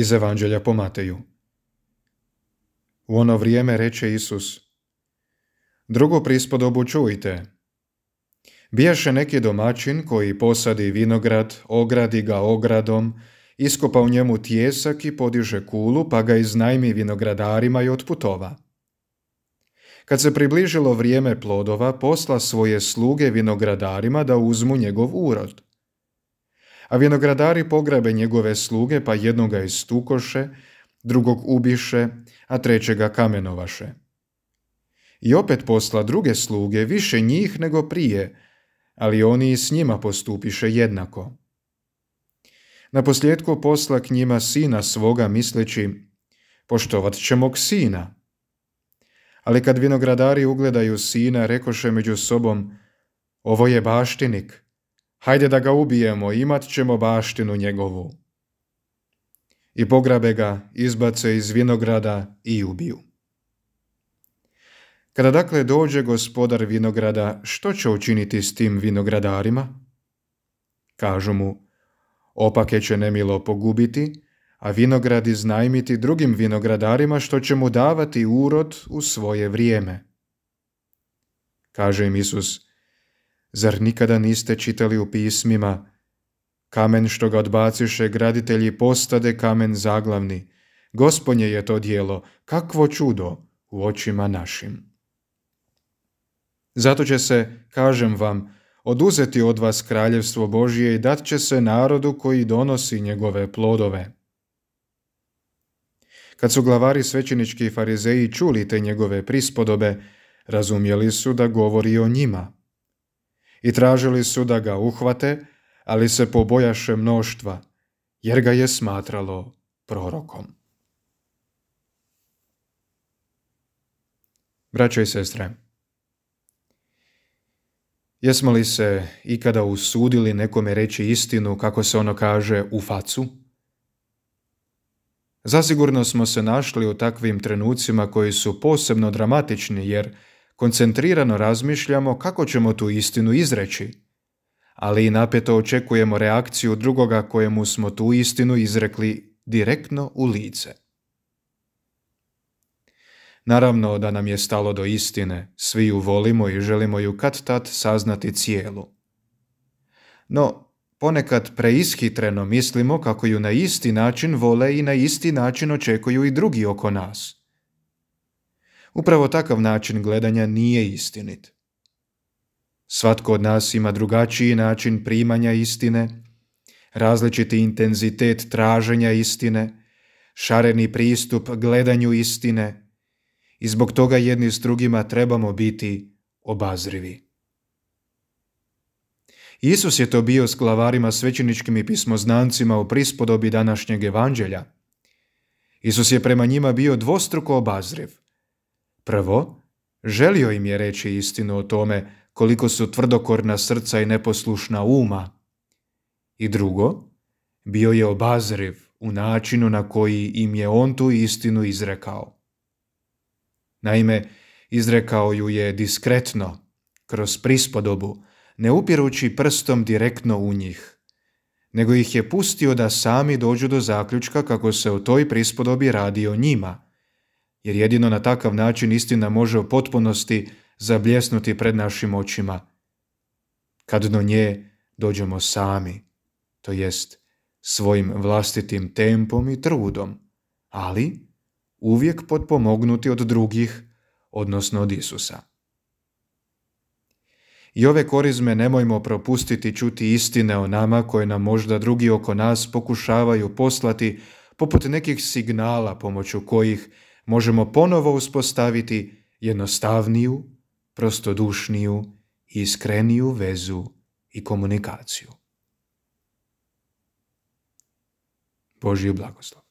Iz Evanđelja po Mateju. U ono vrijeme reče Isus: Drugu prispodobu čujte. Bijaše neki domaćin koji posadi vinograd, ogradi ga ogradom, iskopa u njemu tijesak i podiže kulu, pa ga iznajmi vinogradarima i otputova. Kad se približilo vrijeme plodova, posla svoje sluge vinogradarima da uzmu njegov urod. A vinogradari pograbe njegove sluge, pa jednoga istukoše, drugog ubiše, a trećega kamenovaše. I opet posla druge sluge, više njih nego prije, ali oni i s njima postupiše jednako. Naposljetku posla k njima sina svoga, misleći: poštovat će mog sina. Ali kad vinogradari ugledaju sina, rekoše među sobom: ovo je baštinik, hajde da ga ubijemo, imat ćemo baštinu njegovu. I pograbe ga, izbace iz vinograda i ubiju. Kada dakle dođe gospodar vinograda, što će učiniti s tim vinogradarima? Kažu mu: opake će nemilo pogubiti, a vinograd iznajmiti drugim vinogradarima, što će mu davati urod u svoje vrijeme. Kaže im Isus: zar nikada niste čitali u pismima: kamen što ga odbaciše graditelji postade kamen zaglavni, Gospodnje je to djelo, kakvo čudo u očima našim. Zato će se, kažem vam, oduzeti od vas kraljevstvo Božje i dat će se narodu koji donosi njegove plodove. Kad su glavari svećenički i farizeji čuli te njegove prispodobe, razumjeli su da govori o njima. I tražili su da ga uhvate, ali se pobojaše mnoštva, jer ga je smatralo prorokom. Braćo i sestre, jesmo li se ikada usudili nekome reći istinu, kako se ono kaže, u facu? Zasigurno smo se našli u takvim trenucima koji su posebno dramatični, jer koncentrirano razmišljamo kako ćemo tu istinu izreći, ali i napeto očekujemo reakciju drugoga kojemu smo tu istinu izrekli direktno u lice. Naravno da nam je stalo do istine, svi ju volimo i želimo ju kad-tad saznati cijelu. No, ponekad preishitreno mislimo kako ju na isti način vole i na isti način očekuju i drugi oko nas. Upravo takav način gledanja nije istinit. Svatko od nas ima drugačiji način primanja istine, različiti intenzitet traženja istine, šareni pristup gledanju istine i zbog toga jedni s drugima trebamo biti obazrivi. Isus je to bio s glavarima svećeničkim i pismoznancima u prispodobi današnjeg evanđelja. Isus je prema njima bio dvostruko obazriv. Prvo, želio im je reći istinu o tome koliko su tvrdokorna srca i neposlušna uma. I drugo, bio je obazriv u načinu na koji im je on tu istinu izrekao. Naime, izrekao ju je diskretno, kroz prispodobu, ne upirući prstom direktno u njih, nego ih je pustio da sami dođu do zaključka kako se u toj prispodobi radi o njima, jer jedino na takav način istina može u potpunosti zabljesnuti pred našim očima, kad do nje dođemo sami, to jest svojim vlastitim tempom i trudom, ali uvijek potpomognuti od drugih, odnosno od Isusa. I ove korizme nemojmo propustiti čuti istine o nama koje nam možda drugi oko nas pokušavaju poslati poput nekih signala pomoću kojih možemo ponovo uspostaviti jednostavniju, prostodušniju i iskreniju vezu i komunikaciju. Božji blagoslov.